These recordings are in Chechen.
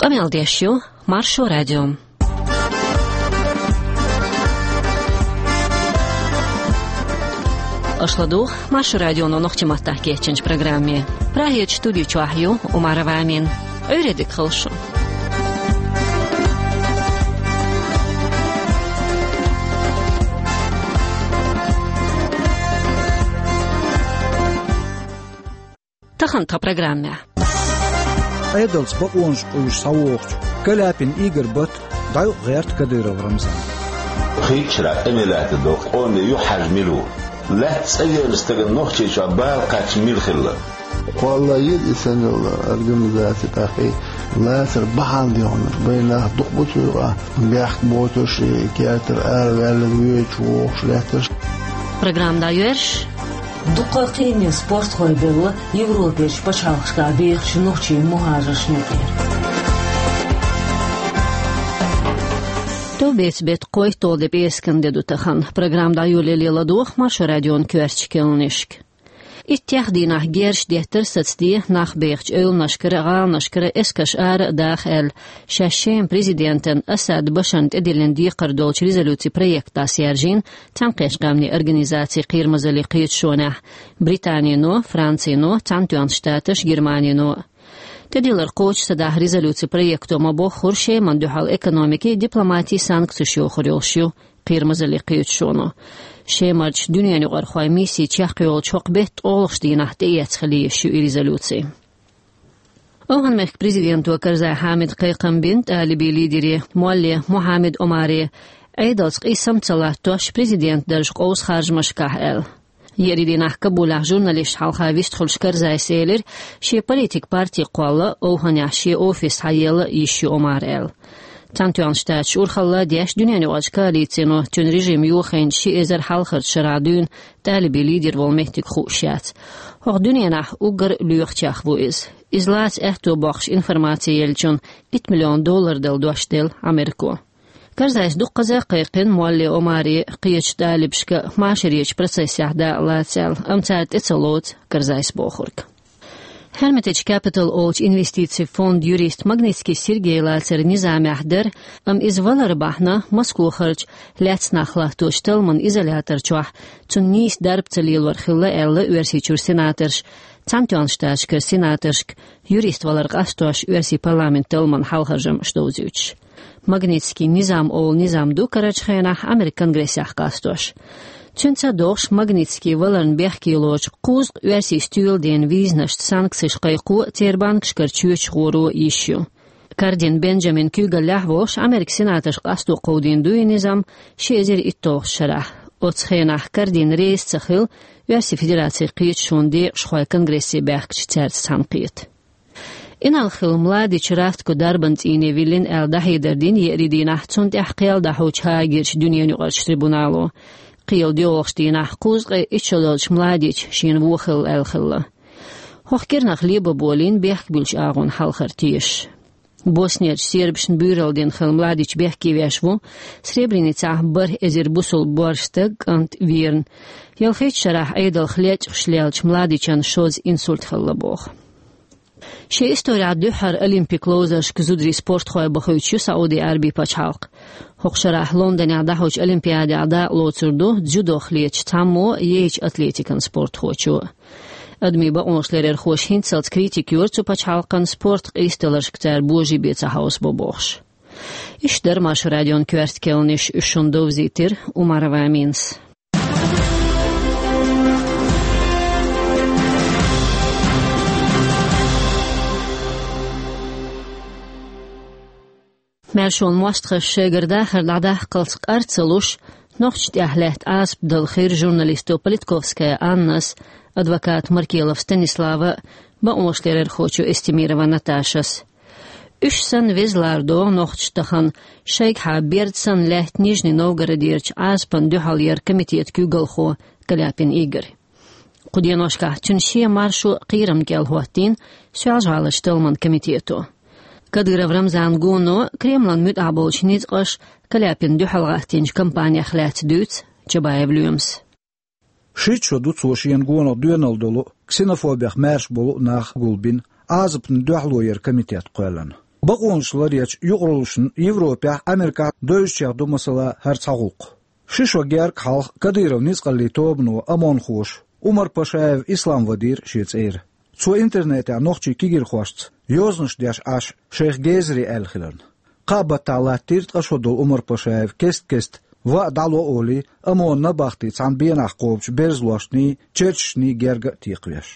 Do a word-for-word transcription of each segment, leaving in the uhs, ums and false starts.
Къамел деш ю Маршо радио. Аша ладугӀу Маршо радионо нохчийн маттахь кечйинчу программе. Прагерчу студи чохь ю Умарова Амина. Ӏуьйре дика хуьлда шун. Тахана тхан программехь. Ӏедалца бакъонаш къуьйсуш схьавогӀучу Каляпин Игорь бат дӀаэцна гӀерта Кадыров Рамзан. Кхеччара къамел лаьттар долу къоме юьхьӀаьржа мила ву? Лаьтта цӀа веана стагана Нохчийчохь бала кхаьчна мила хилла? Кхолла йира и санна йолу организаци тӀаккха и лацар бахьана дехнарш. Бай нах дукха бу цуьнга, бехк боцурш, и кертара араваьлла воьдуш вогӀуш лаьттарш. Программа дӀайоьрзуш. Дуккха а кхиаме спортхой белла Европерчу пачхьалкхашкахь бехачу нохчийн мухӀажаршна юкъара. Товбеца беттан кхойтталгӀа де пӀераскан де ду тахана. Программа дӀайолале ладогӀа Маршо радион коьртачу керланашка. Иттех дийнахь герзаш деттара сацаде нах бехачу эвланашкара, гӀаланашкара эскарш ара а даха аьлла, шаьш Шеман президентан Асад Башарна тӀедиллина декхар долчу резолюцин проект дӀасаяьржина Цхьаьнакхеттачу Къаьмнийн Организацин Кхерамазаллин Кхеташонехь Британино, Францино, Цхьаьнатоьхначу Штаташа, Германино. ТӀедиллар кхочуш ца дахь резолюцин проекто ма-боххура Шемана дуьхьал экономикин, дипломатин санкцеш йохур йолуш ю Кхерамазаллин Кхеташоно. Шемарчу дуьненаюкъархойн мисси чекхйолучу хӀокху беттан ткъолгӀачу дийнахь тӀеэцна хила езаш ю и резолюци. ОвхӀан-мехкан президенто Карзай Хьамида кхайкхам бина тӀалибийн лидере Молле Мухьаммад Омаре, Ӏедалца къийсам ца латтош президент дарж къовса харжамашкахь аьлла. Еарин дийнахь Кабулехь журналисташна хьалха вистхуьлуш Карзайс элира, шен политикан парти кхолла, ОвхӀанехь шен офис схьаелла йиш ю Омара аьлла. Цхьаьнатоьхначу Штаташа урхалла а деш, дуьненаюкъарчу коалицино цуьнан режим йохийна ши эзар хьалхарчу шарахь дуьйна тӀалибийн лидер волу меттиг хууш яц. ХӀокху дуьненахь уггар а лоьхучех ву иза. Иза лаца аьтто боккхуш информаци еллачунна итт миллион доллар дала дош делла Америко. Карзайс дуккхаза а кхайкхина Молле Омаре кхечу тӀалибашка машаречу процессехь дакъа лаца аьлла, амма цара тӀе ца лоцу Карзайс бохург. Hermitage Capital олучу инвестицийн фондан юрист Магнитский Сергей лацар низамехь дара, амма иза валар бахьана Москвахарчу лаьцна нах латточу талламан изолятор чохь цунна нийса дарба ца лелор хилла аьлла Оьрсийчуьра сенаторша, Цхьаьнатоьхначу Штаташкара сенаторшка, юрист валар къастош Оьрсийн парламентан талламан хьалхаржамаш довзуьйтуш. Магнитский низам олу низам ду карарчу хенахь Американ Конгрессехь къастош. Цуьнца догӀуш Магнитский валарна бехке лоцу кхузткъа оьрсийн стоьла дена визанашца санкцеш кхайкхо а, церан банкашкара чоьташ гӀоро а йиш ю. Кардин Бенджамин куьйгаллехь а волуш Американ сенаторша къасто кховдийна ду и низам ши эзар итталгӀачу шарахь. Оцу хенахь Кардин реза ца хилла Оьрсийн Федерацин кхеташонан декъашхой Конгрессе баьхкича цаьрца цхьаьнакхета. Инарла-Хилла Младич Ратко дарбан цӀийне виллина аьлла дӀахьедар дина еарин дийнахь цунна тӀехь кхел дӀахьочу Гаагерчу дуьненаюкъарчу трибунало. Кхелан доьалгӀачу дийнахь кхузткъе итт шо долчу Младич шена вон хилла аьлла хилла. ХӀокху кӀирнах лебо болийна бехк буьллучу агӀонна хьалхара тешаш. Боснерчу сербашна буьйралла дина хилла Младич бехке веш ву Сребреницехь бархӀ эзар бусулба боьрша стаг, кӀант, верна. Ялхитта шарахь Ӏедалх лечкъаш леллачу Младичан шозза инсульт хилла боху. Шен исторехь дуьххьара олимпик ловзаршка зударий спортхой бахуьйтуш ю Сауди Ӏаьрбийн пачхьалкх. ХӀокху шарахь Лондонехь дӀахьочу олимпиадехь дакъа лоцур ду дзюдох летачу цхьаммо а, яйчу атлетикан спортхочо а. Адамийн бакъонаш ларъярхоша хӀинццалц критика йора цу пачхьалкхан спорт къийсадаларшка цара божарий бен ца хьовсабо бохуш. Иштта дара Маршо радион коьрта керланаш, уьш шуна довзийтира Умарова Аминас. Маьршонан мостагӀаша шайгара дахар дӀадаккхалц къар ца луш, нохчашна тӀехь лаьтта Ӏазап дала хир журналисто Политковская Аннас, адвокат Маркелов Станислава, бакъонаш ларъярхочо Эстемирова Наташас. Уьш санна веза лардо нохчаша тахана шайгахьа берда санна лаьтта Нижний Новгородерчу Ӏазапна дуьхьал яран комитетан куьйгалхо Каляпин Игорь. Кху деношкахь цуьнан шен маршо кхерамна кӀел хӀоттийна Соьлжа-ГӀаларчу талламан комитето. Кадыров Рамзанан гоно Кремлан муьтӀахь болчу ницкъаша Каляпинна дуьхьал гӀаттийначу кампанех лаьцна дуьйцу Чабаев Лоьмас. Шийтта шо ду цо шена гонах доьналла долу, ксенофобех маьрша болу нах гулбина, Ӏазапна дуьхьало яран комитет кхоьллина. Бакъонаш ларъечу юкъараллашна Европехь а, Америкехь а девзачех ду, масала, хӀара цхьа гӀуллакх. Ши шо гергга хьалха Кадыровн ницкъаллийн тобано ОМОНхоша Умар Пашаев Ислам вадийра шен цӀера. Цо интернетехь нохчийн кегийрхошца йозанаш деш Ӏаш, шайх гезаре аьлла хиларна. Кхаа баттахь латтийра ткъа шо долу Умар Пашаев кест-кеста ваъ дӀало олий, ОМОНан набахти цхьана бенахь кхобучу берзалошний, черташний герга а текхавеш.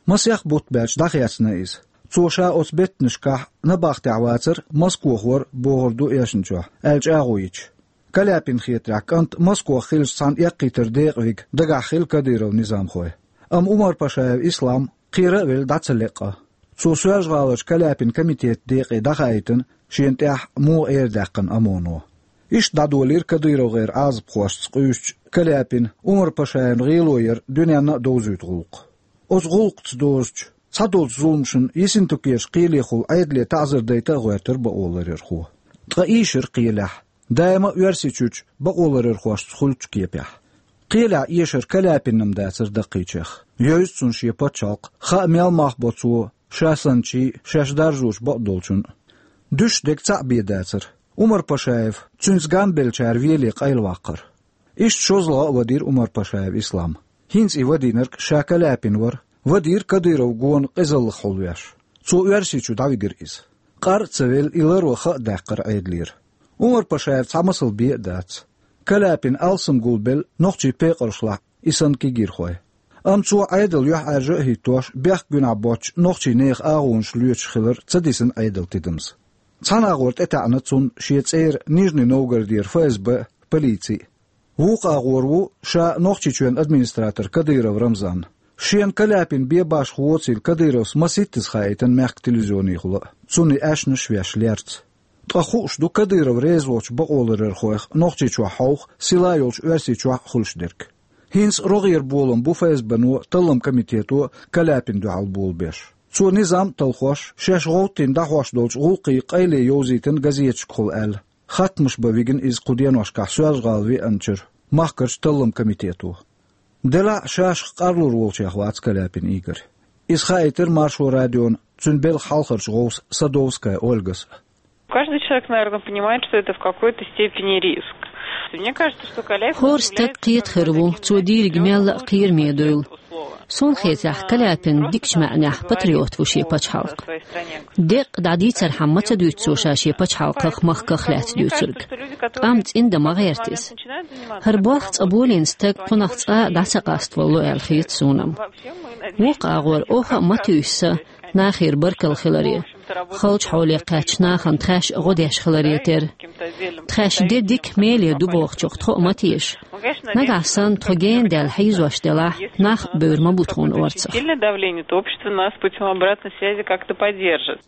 Масех бутт баьлча дӀахецна иза. Цо ша оцу беттанашкахь набахтехь вацара, Москох вара, бохур ду эшначохь, аьлла чӀагӀо йича. Каляпинна хетарехь, кӀант Москох хиллачу цхьана эккхийтаран декъа вига дагахь хилла Кадыровн низамхой. Амма Умар Пашаев Ислам кхера а велла дӀа ца леа. Цо Соьлжа-ГӀаларчу Каляпинан комитетан декъе дӀахаийтина, шена тӀехь муха эр даьккхина ОМОНо. Иштта дӀадолийра КадыровгӀеран Ӏазапхошца къуьйсучу Каляпина Умар Пашаевн гӀело яр дуьненна а довзуьйту гӀуллакх. Оцу гӀуллакхца дозучу цхьадолчу зуламашна Ессентукерчу кхелехула Ӏедале таӀзар дайта а гӀоьртира бакъоларъярхо. Ткъа ийшира кхелехь, даима а Оьрсийчуьрчу бакъоларъярхошца хуьлучу кепехь. Кхелехь эшар Каляпинна-м дацара даккхийчех, евза цунна шен пачхьалкх, хаа мел мах бо цо ша санначийн, шаьш даржочу бакъдолчун а. Дуьсуш дерг цхьаъ бен дацара: Умар Пашаев, цуьнца гамбеллачара веле къайлаваккхар. Иштта шозлагӀа а вадийра Умар Пашаев Ислам. ХӀинца и вадийнарг ша Каляпин вара, вадийра Кадыров гонах къизаллах хьулвеш. Цо Оьрсийчу дӀавигира иза. Къар а ца велла, и ларван ха а даьккхира Ӏедалера. Умар Пашаев цхьа масал бен а дац. Каляпин алсам гулбелла нохчийн пекъаршлахь и санна кегийрхой. Амма цо Ӏедал юьхьӀаьржа а хӀиттош, бехк гуьнахь боцчу нохчийн нехан агӀонаш лоьцуш хилар ца дисина Ӏедалан тидамза. Цхьана агӀор тӀетаьӀна цунна шен цӀера Нижний Новгородера ФСБ а, полици а. Вукху агӀор ву ша Нохчийчоьнан администратор Кадыров Рамзан. Шена Каляпин бен башха воцийла Кадыровс масийттаза хаийтина мехкан телевизионехула а, цунна и аьшнаш а веш лерца. Ткъа хууш ду Кадыров реза волчу бакъоларъярхойх Нохчийчохь хьовха, сила йолчу Оьрсийчохь а хуьлуш дерг. ХӀинца рогӀера болам бу ФСБ-но, талламан комитето Каляпинна дуьхьал болабеш. Цо низам а талхош, шаьш гӀовттийна дӀахьош долчу гӀуллакхийн къайле йовзийтина газеташкахула аьлла, хаттамаш бан вигна иза кху деношкахь Соьлжа-ГӀала веанчуьра махкарчу талламан комитето. Делахь а шашах къарлур волчех вац Каляпин Игорь. Иза хаийтира Маршо радиона цуьнан белхан хьалхарчу гӀовса Садовская Ольгас а. Каждый человек, наверное, понимает, что это в какой-то степени риск. Мне кажется, что Каляпин... ХӀора стаг кхета хир ву, цо дийриг мелла а кхераме дуйла. Суна хетарехь, Каляпин дикачу маьӀнехь патриот ву шен пачхьалкхан. Деккъа дӀадийцархьама ма ца дуьйцу цо ша шен пачхьалкхах, махках лаьцна дуьйцург. Амма цӀиндан ма гӀерта иза. ХӀара болх цкъа болийна стаг кхунах цкъа а дӀа ца къаставало аьлла хета суна-м. Вукху агӀор оха а ма туьйсу сан нахера баркалла хиларе. Халчу хьоле кхаьчначу нахана тхаьш а гӀо деш хиларе терра. Тхаьш де дика, меле ду бохучух тхо а ма теша. Нагахь санна тхо гена даьлла хьийзош делахь, нах а бевр ма бу тхуна орцах. Сильное давление, то общество нас путём обратной связи как-то поддержит.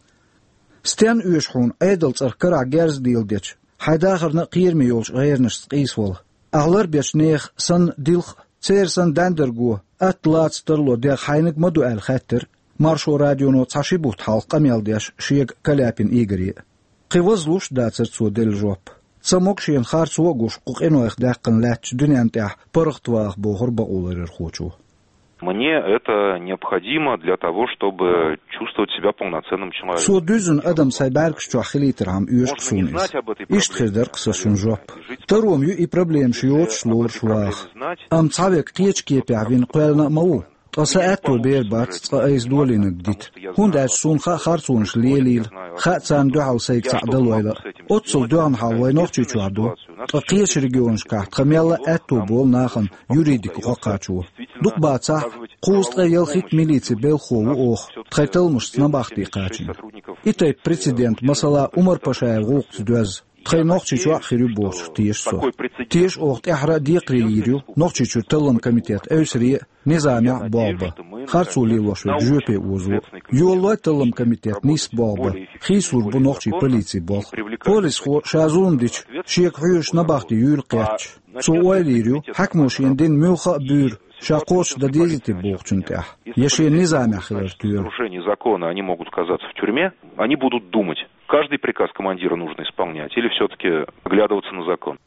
Стенна оьшу хьуна Ӏедалан цӀарах карахь герз а леладечу, хьайн дахарна а кхераме йолчу гӀеранашца къийсавала? Ахь ларбечу нехан санна дилха а, церан санна даьндарго, атта лаца тарло дегӀ хьайниг ма ду аьлла хаьттира Маршо радионо цхьа ши бутт хьалха къамел деш шега Каляпин Игоре а. Кхин вазлуш а дацара цо делла жоп. Ца могу шена харцо а гуш кху къинойх даьккхина лаьттачу дуьненна тӀехь паргӀатваха, бохура бакъоларъярхочо. Мне это необходимо для того, чтобы чувствовать себя полноценным человеком. Цо дуьззина адам сайн бӀаьргаш чохь хилийтархьама оьшу-кх суна иза. Иштта хир дара-кх сан шун жоп. Таро-м ю и проблемаш йоцуш лоруш ваха. Амма цхьаверг кхечу кепехь вина кхоьллина а ма ву. Ткъа сан аьтто бер бац цкъа айса долийнарг дита, хӀунда аьлча суна хаьа харцонаш лелийла, хаьа царна дуьхьал сайга цхьаъ далойла а. Оццул доьгӀна хьал вай Нохчийчохь ду, ткъа кхечу регионашкахь тхан мелла а аьтто болу нахана юридика гӀо кхачо. Дукха бацахь, кхузткъа а ялхитта милицин белхахо ву оха, тхайн талламашца набахти кхачийна. И тайпа прецедент, масала, Умар Пашаевн гӀуллакхца доьзна, тхайн Нохчийчохь а хир ю бохучух теша со. Теша оха тӀаьххьара а декхаре йийр ю Нохчийчуьра талламан комитет эвсаре а, низамехь а болх бан, харцо лелош верг жоьпе озо. Йолалой талламан комитет нийсса болх бан, хийцалур бу нохчийн полицин болх. Полисхо ша зулам дича, шега хьоьжуш набахти юйла кхетча, цо ойла йийр ю, хьаькамо шена дина муьлхха а буьйр ша кхочушдан дезий те бохучунна тӀехь, я шена низамехь хилар тоьлу. Нарушение закона, они могут оказаться в тюрьме, они будут думать, каждый приказ командира нужно исполнять или всё-таки оглядываться на закон.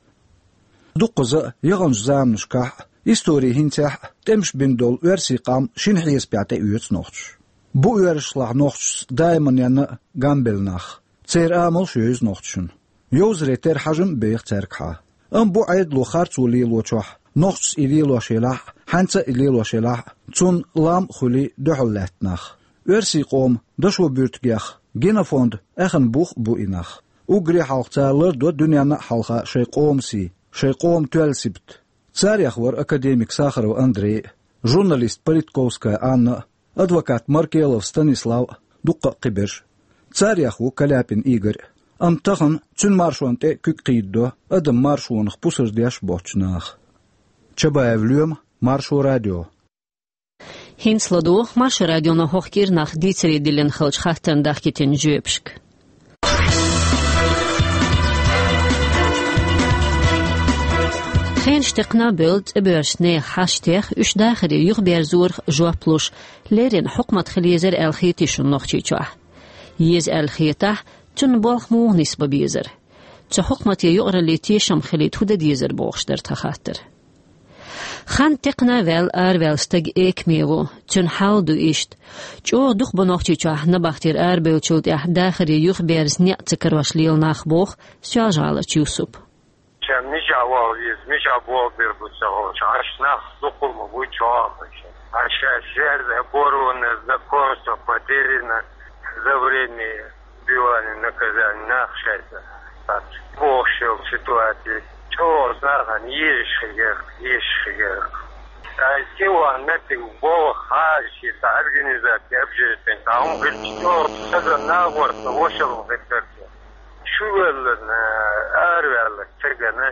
Дуккхаза а, яханчу заманашкахь а, историн хӀинцехь а тӀемаш бина долу оьрсийн къам шина хьесапехь тӀеоьцу нохчаша. Бу оьрсашлахь нохчашца даиманна а гамбелла нах. Церан амалш йовза нохчашна. Йовзаре тера хьажам а беха цаьргахьа. Амма бу Ӏедало харцо лелочохь, нохчашца и лелош елахь а, хьаьнца а и лелош елахь а, цунна лам а хуьлий дуьхьал лаьтта нах. Оьрсийн къоман дашо буьртигех, Генофонд аьхна бух а бу и нах. Уггаре хьалха цара лардо дуьненна а хьалха шайн къоман сий, шайн къоман тоьлла сибат. Царех вара академик Сахаров Андрей а, журналист Политковская Анна а, адвокат Маркелов Станислав а, дуккха а кхиберш. Царех ву Каляпин Игорь а. Амма тахана цуьнан маршонна тӀе а куьг кхийдадо адаман маршонах пусар деш боцчу наха. Чабаев Лоьма, Маршо радио. ХӀинца ладугӀу Маршо радионо хӀокху кӀирнах дийцаре диллина хиллачу хаттарна дахкийтина жоьпашка. Хенаш текхна а бевлла, цӀа боьрзучу нехан хьашт тех, уьш дахаре юхаберзорах жоп луш, леррина хьукмат хила езара аьлла хетий шуна Нохчийчохь? Еза аьлла хетахь, цунна болх муха нисбан безара? Цу хьукмате юкъараллин тешам хилийта хӀун дан дезара бохуш дара тхан хаттар. Хан текхна а ваьлла, араваьлла стаг экаме ву, цуьнан хьал а ду иштта. ЧӀогӀа дукха бу Нохчийчохь набахтера арабевллачул тӀаьхьа дахаре юхаберза, неӀ ца карош лела нах, боху Соьлжа-ГӀаларчу Юсупа. Ша мичахь ваха веза, мичахь болх бийр бу ца хууш, хьаьша нах дукха ма бу чохь а. Хьаьша шаьш жерза, оборванное знакомство, потеряно за время отбывания наказания нах шайца. Бохуш йолу ситуаци чӀогӀа нахана езаш хилира, езаш хилира. Ай, кхин ван меттиг болх хьажа шен цхьа организаци, общественный, цхьа хӀума хилча, чӀогӀа цхьа нагӀорца вошалла хир дара. Чувелларна, араваьллачу стагана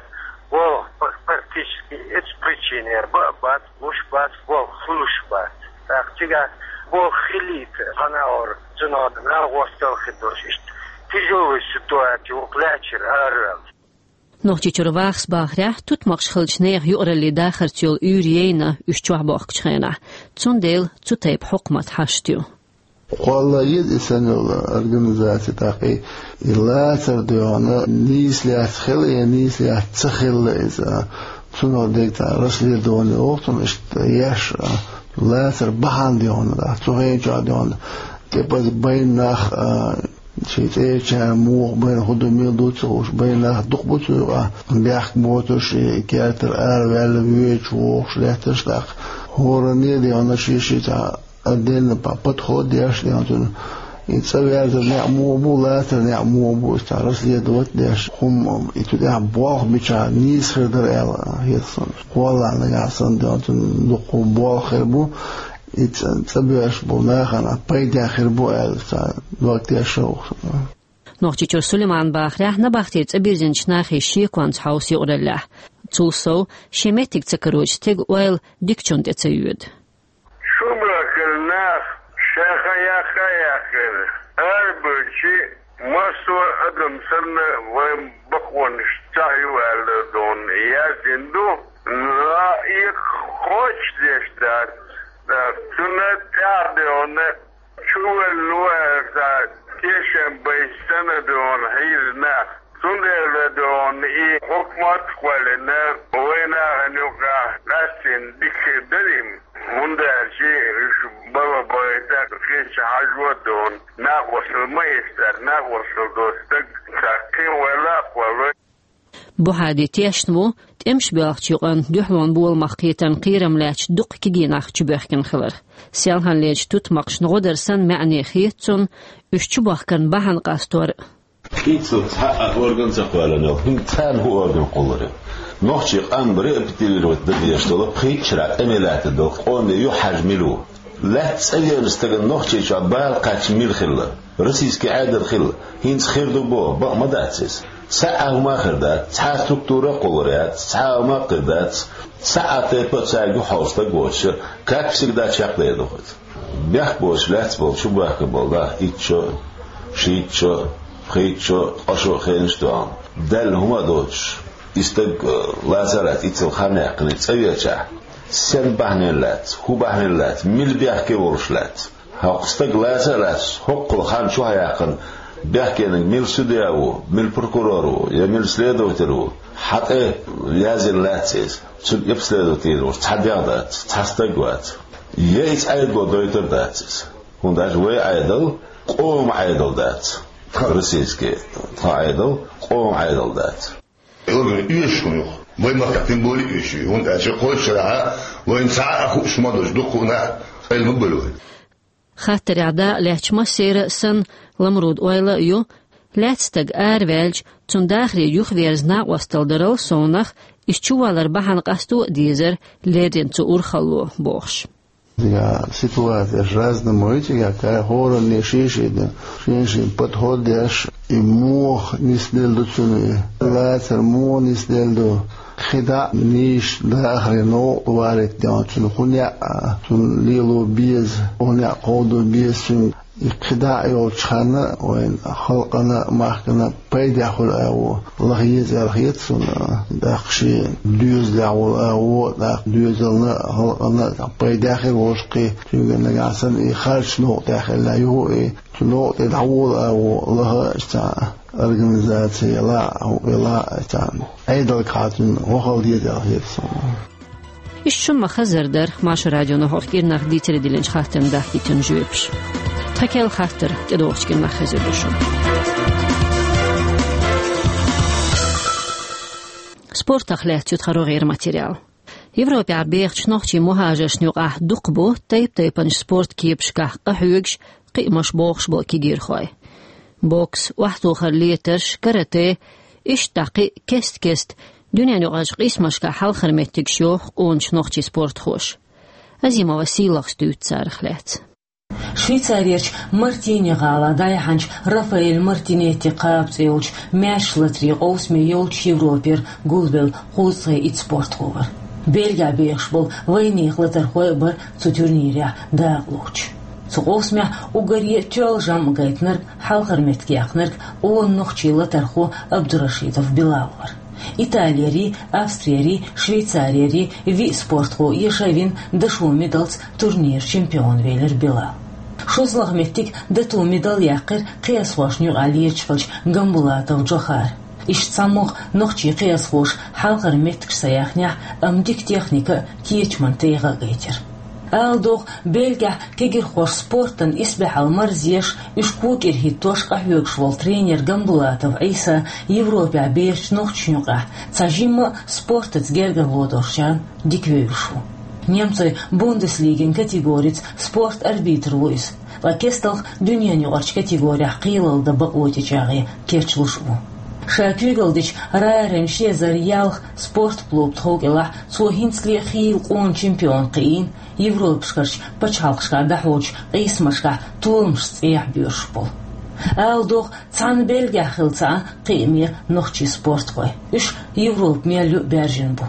болх пр-, практически эцу причинера баа бац, луш бац, болх хуьлуш бац. ТӀаккха цигахь болх хилийта, хьан а ора, цунах нагӀорца талхийдош, иштта тяжелая ситуаци вукху лаьттара араваьлла. Нохчийчуьра вахас бахарехь, тутмакхаш хиллачу нехан юкъараллин дахарца йолу уьйр яйна уьш чохь бохкучу хенахь. Цундела цу тайпа хьукмат хьашт ю. Кхолла еза и санна йолу организаци, тӀаккха и лацар доьгӀна нийса лаьцна хилла я нийса лаьцна ца хилла иза. Цунах дерг цхьа расследование воху цунна иштта еш, а, лацар бахьана доьгӀна, а, цу хенчохь доьгӀна. ТӀепаза байна нах, а, шайн цӀерачара муха байна, хӀун ду, мила ду ца хууш, байна нах дукха бу цу юкъахь, бехк боцурш, и кертара араваьлла, воьдуш, вогӀуш лаьтташ, тӀаккха хӀоранне а доьгӀна шен-шен цхьа отдельно по-, подход деш, доьгӀна цунна. И цӀа верзар неӀ муха бу, лацар неӀ муха бу, иза цхьа расследовать деш, хӀума и цу тӀехь болх бича нийса хир дара аьлла хета суна. Кхоллахь нагахь санна, доьгӀна цунна дуккха болх хир бу, и цӀа, цӀа боьрзуш болу нахана пайда хир бу аьлла, цхьа дог тешна ву-кх. Нохчийчуьра Сулайман бахарехь, набахтера цӀа бирзинчу нахе шеконца хьовса юкъараллехь. Цул сов, шен меттиг ца карочу стеган ойла дикачунна тӀе ца йоьду. Шу бахкара нах шайн хан яккха а яьккхина, арабевлчи массо а адам санна вайн бакъонаш цхьаъ ю аьлла, доьгӀна, яздина ду. Но и кхочушдеш дац, цунна тӀаьхьа, доьгӀна, чувелла ву аьлла, цхьа тешам байча санна, доьгӀна, хьийза нах. Цундела, доьгӀна, и хьукмат а кхоьллина, вайн нахана юкъахь къаьстина дика хир дара и, хӀунда аьлча уьш бала бахийта кхечу хьажо, доьгӀна, накъосталла ма эцара, накъосталла доцу стаг цхьа кхин ойла а кхоллой. Бухьади тешна ву, тӀемаш боьлхучу юкъанна дуьхьалонан боламах кхетарна кхерам лаьцначу дуккха кегий нах чубоьхкина хиларх. Селханлерчу тутмакхашна гӀо дар санна маьӀне хета цунна уьш чубахкарна бахьана къастор а. Кхин цхьа а орган ца кхоьллина йолу, хӀинца царна хӀун орган кхуллур ю? Нохчийн къам репатриировать дан дезаш долу, пхийтта шарахь тӀаме лаьттина долу къоме юьхьӀаьржа мила ву? Лаьцна цӀа веанчу стагана Нохчийчохь бала кхаьчна мила хилла? Российский Ӏедал хилла? ХӀинца хир ду боху, бакъ ма дац иза. Цхьа а хӀума а хир дац, цхьа а структура а кхуллур яц, цхьа а хӀума а хир дац, цхьа а тайпа а цаьрга юхьал стаг воцуш, как всегда, чекхдер ду хӀинца. Бехк боцуш лаьцна болу, чубоьхкина болу нах итт шо, шийтта шо, пхийтта шо, ткъа шо хенаш а тоьхна, даьлла хӀума а доцуш, и стаг, э, лаца а лаьцна, иццал хан яьккхина, цӀа веачахь, сен бахьанийна лаьцна, хӀун бахьанийна лаьцна, мила бехке волуш лаьцна? ХӀокху стаг лаца а лаьцна, хӀокхул хан чохь яьккхина, бехкениг мила судья ву, мила прокурор ву я мила следователь ву, хьан тӀе яздина лаьцна иза? Цуьнан обследовать йийр волуш цхьа дегӀ дац, цхьа стаг вац. Я иза Ӏедало дойтур дац иза. ХӀунда аьлча вай Ӏедал къоман Ӏедал дац. Тхан российский тхан Ӏедал къоман Ӏедал дац. Угар оьшуш хӀума ю. Вай махкахь тем более оьшуш ю. ХӀунда аьлча кхойтта шарахь вайна цхьа а хууш ма долуш дуккха а нах къайла ма бевлла вай. Хаттарехь дакъа лаьцначу массеран а санна, Ламрудан ойла а ю, лаьцна стаг араваьлча, цуьнан дахаре юхаверза накъосталла дарал совнах, иза чувалар бахьана къасто а дезара, леррина цу урхалло, бохуш. Цигахь ситуацияш разный ма ю, цигахь кхин хӀоранна шен-шен, шен-шен подход деш, и муха нисделла ду цуьнан, и лацар муха нисделла ду. КхидӀа а нийса дахаре новкъа валийта деза цуьнан, хӀун яа, цуьнан лело беза, хӀун яа кховдо беза цуьнан. И кхидӀа а йолчу ханна вайн халкъана а, махкана а пайдехь хуьлу агӀо лаха еза аьлла хета суна. ТӀаккха шен доьзалехь волу агӀо, тӀаккха доьзална а, халкъана а пайдехь хир волуш кхин, цуьнга нагахь санна и харц новкъа тӀехь хилла юха и, цу новкъа тӀе дӀаволу агӀо лаха а цхьа организаци елахь а, хӀуъа елахь а цхьа Ӏедалгахь цуьнан вахал деза аьлла хета суна. Иштта шуна ма-хаззара дара Маршо радионо хӀокху кӀирнах дийцаре диллинчу хаттарна дахкийтина жоьпаш. Тхан керла хаттар тӀедогӀучу кӀирнах хезар ду шуна. Спортах лаьцна ю тхан рогӀера материал. Европехь бехачу нохчийн мухӀажаршна юкъахь дукха бу тайп-тайпанчу спорт кепашкахь къахьоьгуш, кхиамаш бохуш болу кегийрхой. Бокс, охьатохар летарш, карате, иштта кхин а кест-кеста дуьненаюкъарчу къийсамашкахь хьалхара меттигаш йоху къоначу нохчийн спортхоша. Азимова Сийлахас дуьйцу царах лаьцна. Швейцарерчу Мартини гӀалахь дӀаяьхьначу Рафаэль Мартинетти кхаба цӀе йолчу маьрша латарийн къовсаме йолчу Европера гулвелла кхузткъе итт спортхо вара. Бельгехь бехаш болу вайнехан латархой а бара цу турнирехь дакъалоцуш. Цу къовсамехь уггаре тоьлла жамӀ гайтинарг, хьалхара меттиг яьккхинарг къона нохчийн латархо Абдурашидов Билал вара. Италиярий, Австриярий, Швейцариярий виъ спортхо эша а вина, дашо медалца турниран чемпион велира Билал. ШозлагӀа меттиг, дато медаль яьккхира кхиазхошна юкъахь лелаш хиллачу Гамбулатов Джохара. Иштта цхьамогӀа нохчийн кхиазхоша хьалхара меттигаш ца яьхнехь, амма дика техника а, кечаман тӀегӀа а гайтира. Ала догӀу, Бельгехь кегийрхоша спортана исбаьхьалла марзъеш, уьш кӀира хӀиттош къахьоьгуш волу тренер Гамбулатов Ӏийса Европехь бехачу нохчашна юкъахь цхьа жимма а спортаца гергарло долчарна дика вевзаш ву. Немцойн Бундеслигин категорица спорт арбитр ву иза, ткъа кестта дуьненаюкъарчу категорехь кхелалла дан бакъо тӀечӀагӀъе кечлуш а ву. Ша куьйгалла дечу Райеран ши эзар ялх спорт клуб тхов кӀелахь цо хӀинцале а хийла къона чемпион кхиийна, Европашкарчу пачхьалкхашкахь дӀахьочу къийсамашкахь толамашца цӀехьа боьрзуш болу. Ала догӀу, цхьана Бельгехь хилла ца Ӏа кхиаме нохчийн спортхой. Уьш Европа мел ю а баьржина бу.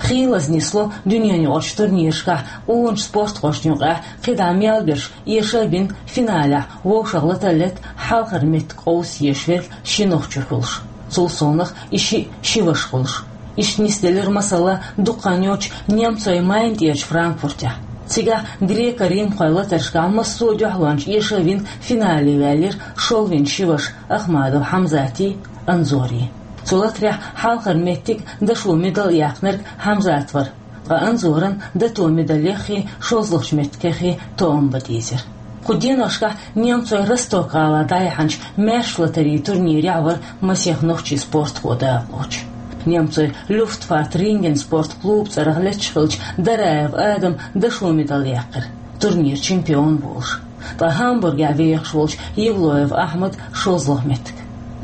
Хийлаза нисло дуьненаюкъарчу турнирашкахь къоначу спортхошна юкъахь кхидӀа мел берш эша а бина, финалехь вовшах латаллалц хьалхара меттиг къовса езаш верг ши нохчо хуьлуш. Цул совнах и шиъ ши ваша хуьлуш. Иштта нисделира масала дукха хан йоццуш немцойн Майна тӀерачу Франкфуртехь. Цигахь греко-римхойн латаршкахь массо а дуьхьалончаш эша а вина, финале ваьллира шолгӀа вина ши ваша Ахмадов Хьамзатий, Анзорий. Цу латарехь хьалхара меттиг, дашо медаль а яьккхинарг Хьамзат вара, ткъа Анзоран дато медалеххий, шолгӀачу меттигеххий тоам бан дийзира. Кху деношкахь немцойн Росток-гӀалахь дӀаяьхьначу маьрша латарийн турнирехь вара масех нохчийн спортхо дакъалоцуш. Немцойн Люфтваффе Ринген спорт клуб цӀарах летташ хиллачу Дараев Адама дашо медаль яьккхира, турниран чемпион волуш. Ткъа Гамбургехь вехаш волчу Евлоев Ахьмада шолгӀа меттиг.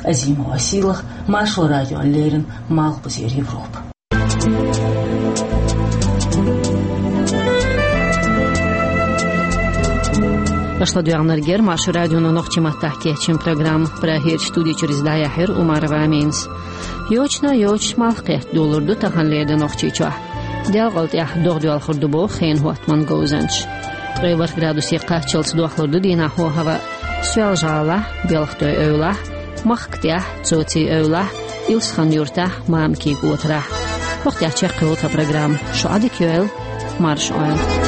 Азимова Сийлаха, Маршо радиона леррина, Малхбузера Европа. Аша ладоьгӀнарг яра Маршо радионо нохчийн маттахь кечйина программа. Прагерчу студи чуьра иза дӀаяьхьира Умарова Аминас. Йочана йоцуш малх кхетта долур ду таханлера де Нохчийчохь. Делкъал тӀехь догӀа доьлхур ду боху хенан хӀоттаман говзанчаша. Ткъе ворхӀ градусе кхаччалц дохлур ду дийнахь хӀаваъ. Соьлжа-ГӀалахь, Белхатойн эвлахь, Махкатехь, Цоцин эвлахь, Илсхан-Юртахь, Мамикийн котарахь. ХӀокху тӀехь чекхйолу тхан программа. Шу Ӏадика йойла, марша Ӏойла.